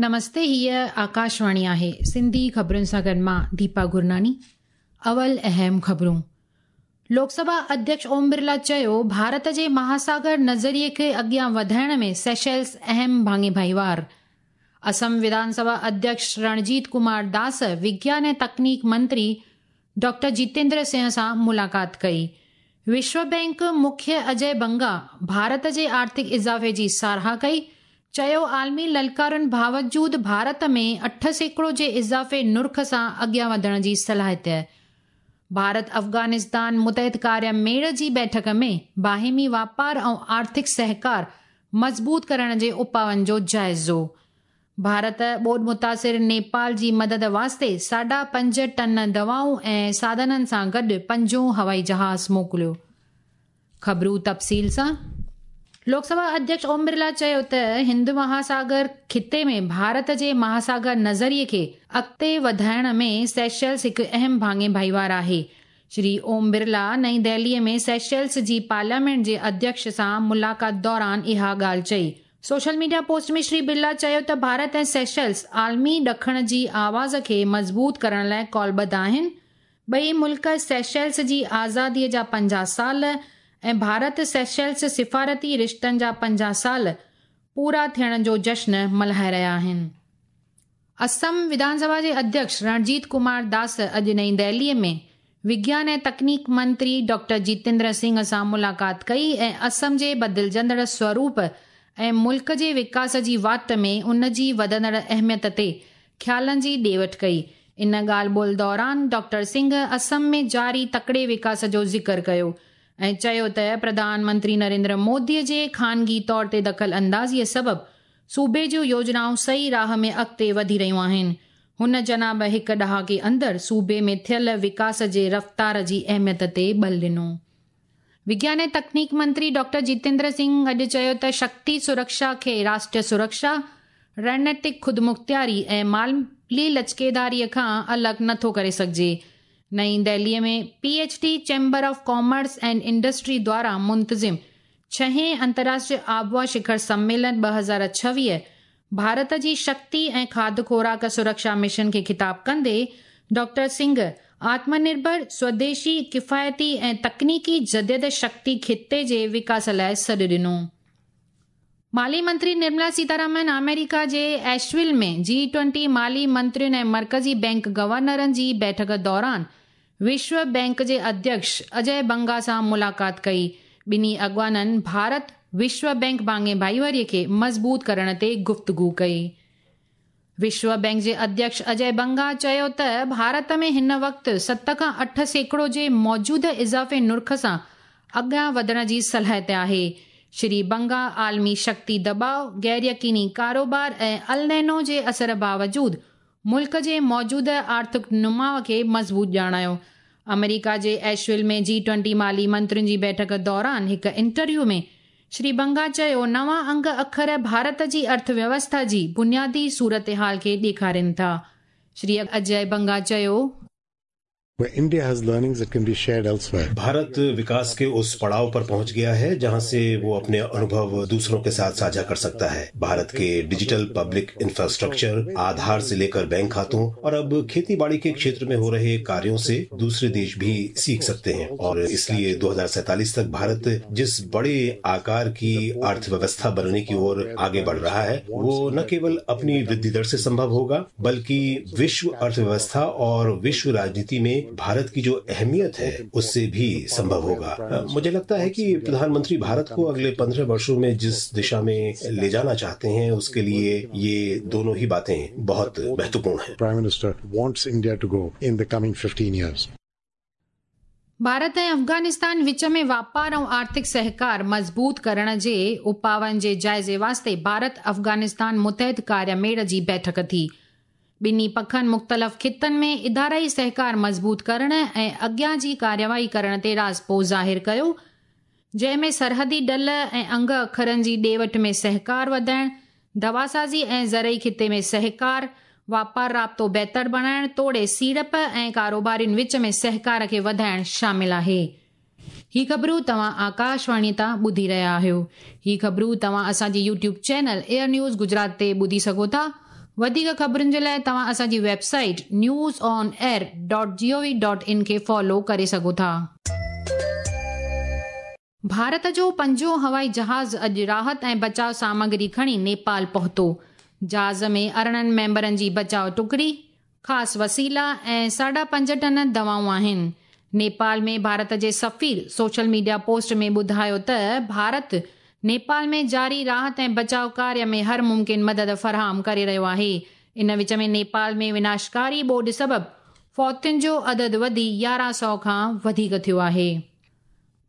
نمستي هيء آڪاشواڻي آهي سنڌي خبرن سان گڏ مان ديپا گرناني اول اهم خبرون لوڪ سڀا اڌيڪش اوم برلا چيو ڀارت جي مهاساگر نظريي کي اڳيان وڌائڻ ۾ سيشلز اهم ڀاڱي ڀائيوار اسم وڌان سڀا اڌيڪش رڻجيت ڪمار داس وگيان ۽ تڪنيڪ منتري ڊاڪٽر جتيندر سنگهه سان ملاقات ڪئي. وشو بئنڪ مکيه اجي بنگا ڀارت جي آرٿڪ اضافي جي ساراهه ڪئي، چيو عالمي للڪارن باوجود ڀارت ۾ 8% جي اضافي نرخ سان اڳيان وڌڻ جي صلاحيت. ڀارت افغانستان متحد ڪاريه ميڙ جي بيٺڪ ۾ باهمي واپار ۽ آرٿڪ سهڪار مضبوط ڪرڻ جي اپائن جو جائزو. ڀارت ٻوڏ متاثر نيپال جي مدد واسطي 5.5 ٽن دوائون ۽ ساڌنن سان گڏ پنجون هوائي جهاز موڪليو. خبرون تفصيل سان لوڪ سڀا اڌيڪش اوم برلا چيو ته هند مهاساگر خطي ۾ ڀارت جي مهاساگر نظريي کي اڳتي وڌائڻ ۾ سيشلز هڪ اهم ڀاڱي ڀائيوار آهي. شري اوم برلا نئين دهلي ۾ سيشلز جي پارليامينٽ جي اڌيڪش سان ملاقات دوران اها ڳالهه چئي. Social media post ۾ Shri Birla چيو ته ڀارت ۽ سيشلز عالمي ڏکڻ جي آواز کي مضبوط ڪرڻ لاء قولبڌ آهن. ٻئي ملڪ سيشلز جي آزادي جا 50 سال ۽ ڀارت سيشلز سفارتي رشتن جا 50 سال پورا ٿيڻ جو جشن ملهائي رهيا آهن. اسم وڌان سڀا جي اڌيڪش رڻجيت ڪمار داس اڄ نئين دهلي ۾ وگيان ۽ تڪنيڪ منتري ڊاڪٽر جتيندر سنگهه سان ملاقات ڪئي ۽ اسم جي بدلجندڙ سوروپ ۽ ملڪ جي وڪاس جي واٽ ۾ ان جي وڌندڙ اهميت تي خيالن جي ڏي وٺ ڪئي. ان ڳالهه ٻولهه دوران ڊاڪٽر سنگهه اسم ۾ جاري تڪڙي وڪاس جو ذڪر ڪيو ۽ چيو ته پرڌان منتري نريندر مودي جي خانگي طور تي دخل اندازي سبب صوبي جون يوجنائون صحيح راهه ۾ اڳتي وڌي رهيون آهن. هن جناب هڪ ڏهاڪي اندر صوبي ۾ ٿيل وڪاس جي رفتار جي اهميت تي ٻل ڏنو. وگيان ۽ تڪنيڪ منتري ڊاڪٽر جتيندر سنگهه اڄ چيو ته شڪتي سرڪشا کي راشٽريه سرڪشا، رڻنيتڪ خودمختياري ۽ مالي لچڪيداري کان الڳ نٿو ڪري سگهجي. نئين Delhi ۾ P H D chamber of commerce and industry دواران منتظم ڇهين انترراشٽريه آبهوا شکر سميلن 2026 ڀارت جي شڪتي ۽ کاڌ خوراڪ سرڪشا مشن کي خطاب ڪندي ڊاڪٽر سنگهه آتم نرڀر، سوديشي، ڪفايتي ۽ تڪنيڪي جديد شڪتي خطي جي وڪاس لاء سڏ ڏنو. مالي منتري نرملا سيتارامن آمريڪا جي ايشول ۾ جي 20 مالي منترين ۽ مرڪزي بئنڪ گورنرن جي بيٺڪ دوران وشو بئنڪ جي اڌيڪش اجي بنگا سان ملاقات ڪئي. ٻنهي اڳواڻن ڀارت وشو بئنڪ ڀاڱي ڀائيواري کي مضبوط ڪرڻ تي گفتگو ڪئي. وشو بئنڪ جي اڌيڪش اجي بنگا چيو ته ڀارت ۾ هن وقت 7 کان 8% جي موجوده اضافي نرخ سان اڳيان وڌڻ جي صلاحيت آهي. شري بنگا عالمي شڪتي دٻاء، غير يقيني ڪاروبار ۽ النينو جي اثر باوجود ملڪ جي موجوده آرٿڪ نماء کي مضبوط ڄاڻايو. آمريڪا جي ايشول ۾ جي 20 مالي منترين جي بيٺڪ دوران هڪ انٽرويو ۾ شري بنگا چيو نوان انگ اکر ڀارت جي ارٿ ويوسٿا جي بنيادي صورتحال کي ڏيکارين ٿا. شري اجي بنگا چيو. Where India has learnings that can be shared elsewhere. Bharat विकास के उस पड़ाव पर पहुंच गया है जहां से वो अपने अनुभव दूसरों के साथ साझा कर सकता है। भारत के डिजिटल पब्लिक इंफ्रास्ट्रक्चर, आधार से लेकर बैंक खातों और अब खेतीबाड़ी के क्षेत्र में हो रहे कार्यों से दूसरे देश भी सीख सकते हैं और इसलिए 2047 तक भारत जिस बड़े आकार की अर्थव्यवस्था बनने की ओर आगे बढ़ रहा है वो न केवल अपनी वृद्धि दर से संभव होगा बल्कि विश्व अर्थव्यवस्था और विश्व राजनीति में भारत की जो अहमियत है उससे भी संभव होगा। मुझे लगता है कि प्रधानमंत्री भारत को अगले 15 वर्षों में जिस दिशा में ले जाना चाहते हैं उसके लिए ये दोनों ही बातें बहुत महत्वपूर्ण हैं। Prime Minister wants India to go in the coming 15 years. Bharat ۽ Afghanistan وچ ۾ واپار ۽ آرٿڪ سهڪار مضبوط ڪرڻ جي اپائن جي جائزي واسطي ڀارت افغانستان متحد ڪاريه ميڙ جي بيٺڪ ٿي. ٻنهي پکن مختلف خطن ۾ ادارائي سهڪار مضبوط ڪرڻ ۽ اڳيان جي ڪارروائي ڪرڻ تي راضپو ظاهر ڪيو، جنهن ۾ سرحدي ڊل ۽ انگ اکرن جي ڏي وٺ ۾ سهڪار وڌائڻ، دواسازي ۽ زرعي خطي ۾ سهڪار، واپار رابطو بهتر بڻائڻ توڙي سيڙپ ۽ ڪاروبارين وچ ۾ سهڪار کي وڌائڻ شامل آهي. هي خبرون توهان آڪاشواڻي تان ٻڌي رهيا آهيو. هي خبرون توهان اسان جي YouTube channel air news Gujarat تي ٻڌي سگهو ٿا. वधीक ख़बरुनि जे लाइ तव्हां असांजी website news on air dot G O V dot in खे फॉलो करे सघो था। भारत जो पंजों हवाई जहाज़ अॼु राहत ऐं बचाव सामग्री खणी नेपाल पहुतो। जहाज़ में 18 मेंबरनि जी बचाव टुकड़ी, ख़ासि वसीला ऐं 5.5 टन दवाऊं आहिनि। नेपाल में भारत जे सफ़ीर सोशल मीडिया पोस्ट में ॿुधायो त भारत नेपाल में जारी राहत ऐं बचाव कार्य में हर मुमकिन मदद फराहम करे रहियो आहे। इन विच में नेपाल में विनाशकारी ॿोॾ सबबि फौतियुनि जो अदद वधी 1100 खां वधीक थियो आहे।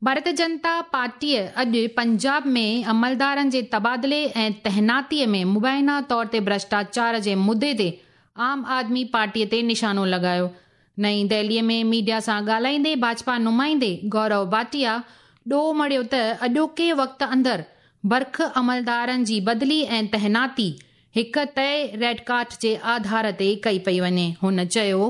भारतीय जनता पार्टीअ अॼु पंजाब में अमलदारनि जे तबादिले ऐं तैनातीअ में मुबैना तौर ते भ्रष्टाचार जे मुद्दे ते आम आदमी पार्टीअ ते निशानो लॻायो। नई दिल्लीअ में मीडिया सां ॻाल्हाईंदे भाजपा नुमाइंदे गौरव भाटिया ॾोह मढ़ियो त अॼोके वक़्त अंदरि बर्ख अमलदारनि जी बदिली ऐं तैनाती हिकु तय रेड कार्ड जे आधार ते कई पई वञे। हुन चयो,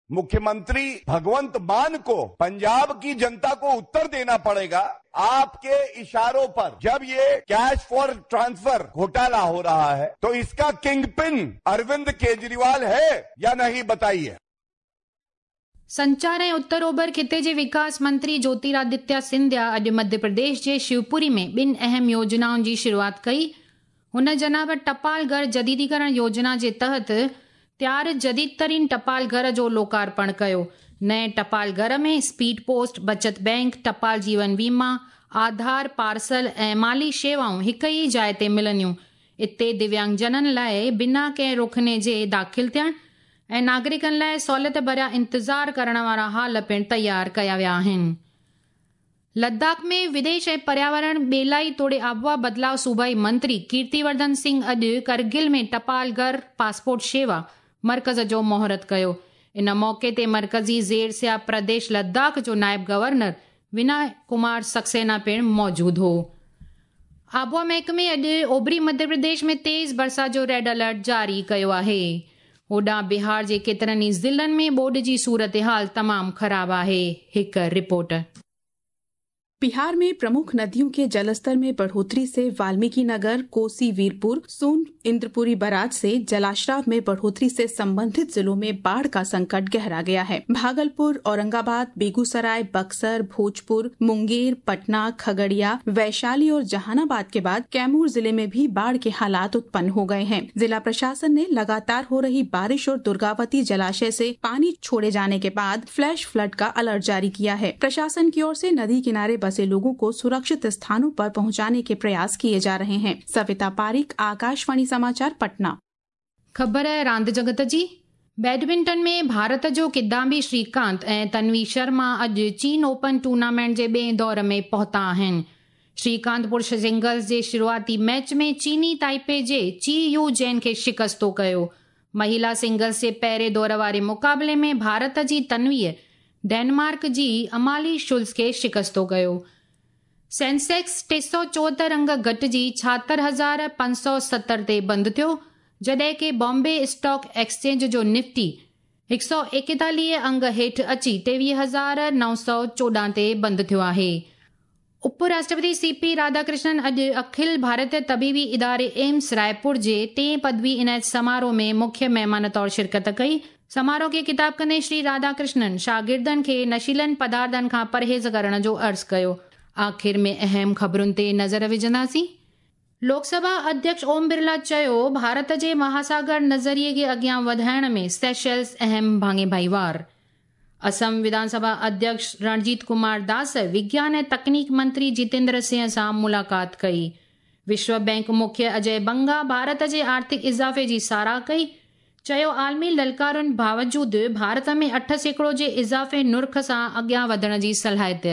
मुख्यमंत्री भगवंत मान को पंजाब की जनता को उत्तर देना पड़ेगा। आपके इशारों पर जब ये कैश फॉर ट्रांसफर घोटाला हो रहा है तो इसका किंगपिन अरविंद केजरीवाल है या नहीं, बताइए। संचार ऐं उत्तर ओभर खिते जे विकास मंत्री ज्योतिरादित्य सिंधिया अॼु मध्य प्रदेश जे शिवपुरी में ॿिनि अहम योजनाउनि जी शुरूआत कई। हुन जनाब टपाल घर जदीदीकरण योजना जे तहत तयार जदीद तरीन टपाल घर जो लोकार्पण कयो। नए टपाल घर में स्पीड पोस्ट, बचत बैंक, टपाल जीवन बीमा, आधार, पार्सल ऐं माली शेवाऊं हिक ई जाइ ते मिलंदियूं। इते दिव्यांगजननि लाइ बिना कंहिं रोकणे जे दाख़िल थियण ऐं नागरिकनि लाइ सहूलियत भरिया इंतज़ार करण वारा हाल पिणु तयारु कया विया आहिनि। लद्दाख में विदेश ऐं पर्यावरण ॿेलाई तोड़े आबहावा बदिलाव सूबाई मंत्री कीर्तिवर्धन सिंह अॼु करगिल में टपाल घर पासपोर्ट शेवा मर्कज़ जो मुहूर्त कयो। इन मौक़े ते मर्कज़ी ज़ेर सिया प्रदेश लद्दाख जो नायब गवर्नर विनय कुमार सक्सेना पिणु मौजूदु हो। आबहावा महकमे अॼु ओभरी मध्य प्रदेश में तेज़ बरसाति जो रेड अलर्ट जारी कयो आहे। होॾां बिहार जे केतिरनि ई ज़िलनि में ॿोॾ जी सूरत हाल तमामु ख़राबु आहे। हिकु रिपोर्ट। बिहार में प्रमुख नदियों के जलस्तर में बढ़ोतरी से वाल्मीकि नगर, कोसी वीरपुर, सोन इंद्रपुरी बराज से जलाश्राव में बढ़ोतरी से संबंधित जिलों में बाढ़ का संकट गहरा गया है। भागलपुर, औरंगाबाद, बेगूसराय, बक्सर, भोजपुर, मुंगेर, पटना, खगड़िया, वैशाली और जहानाबाद के बाद कैमूर जिले में भी बाढ़ के हालात उत्पन्न हो गए हैं। जिला प्रशासन ने लगातार हो रही बारिश और दुर्गावती जलाशय से पानी छोड़े जाने के बाद फ्लैश फ्लड का अलर्ट जारी किया है। प्रशासन की ओर से नदी किनारे बसे लोगों को सुरक्षित स्थानों पर पहुंचाने के प्रयास किए जा रहे हैं। सविता पारिक, आकाशवाणी समाचार, पटना। ख़बर रांदि जगत जी। बैडमिंटन में भारत जो किदाम्बी श्रीकांत ऐं तन्वी शर्मा अॼु चीन ओपन टूर्नामेंट जे ॿिए दौर में पहुता आहिनि। श्रीकांत पुरुष सिंगल्स जे शुरूआती मैच में चीनी ताइपे जे ची you Jain खे शिकस्तो कयो। महिला सिंगल्स जे पहिरें दौर वारे मुक़ाबले में भारत जी तन्वीअ डेनमार्क जी अमाली शुल्स खे शिकस्तो कयो। सेंसेक्स 374 अंग घटिजी 76,570 ते बंदि थियो, जॾहिं की बॉम्बे स्टॉक एक्सचेंज जो निफ्टी 141 अंग हेठि अची 23,914 ते बंदि थियो आहे। उपराष्ट्रपति सीपी राधाकृष्णन अॼु अखिल भारतीय तबीबी इदारे एम्स रायपुर जे टें पदवी इनायत समारोह में मुख्य महिमान तौरु शिरकत कई। समारोह खे खिताब कंदे श्री राधाकृष्णन शागिर्दनि खे नशीलनि पदार्थनि खां परहेज़ करण जो अर्ज़ु कयो। आख़िर में अहम ख़बरुनि ते नज़र विझंदासीं। लोकसभा अध्यक्ष ओम बिरला चयो, भारत जे महासागर नज़रिए खे अॻियां वधाइण में सेशल्स अहम भाङे भाईवार। असम विधानसभा अध्यक्ष रणजीत कुमार दास विज्ञान ऐं तकनीक मंत्री जितेंद्र सिंह सां मुलाक़ात कई। विश्व बैंक मुख्य अजय बंगा भारत जे आर्थिक इज़ाफ़े जी सराह कई। चयो, आलमी ललकारुनि बावजूदि भारत में 8% जे इज़ाफ़े नुर्ख सां अॻियां वधण जी सलाहियत।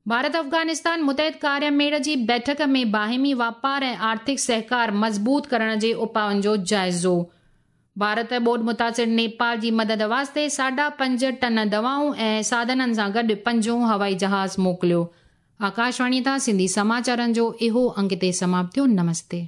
भारत अफ़गानिस्तान मुतहद कार्य मेड़ जी बैठक में बाहिमी वापार ऐं आर्थिक सहकार मज़बूत करण जे उपाउनि जो जाइज़ो। भारत ॿोॾ मुतासिर नेपाल जी मदद वास्ते 5.5 टन दवाऊं ऐं साधननि सां गॾु पंजों हवाई जहाज़ मोकिलियो। आकाशवाणी तां सिंधी समाचारनि जो इहो अंग ते समाप्त थियो। नमस्ते।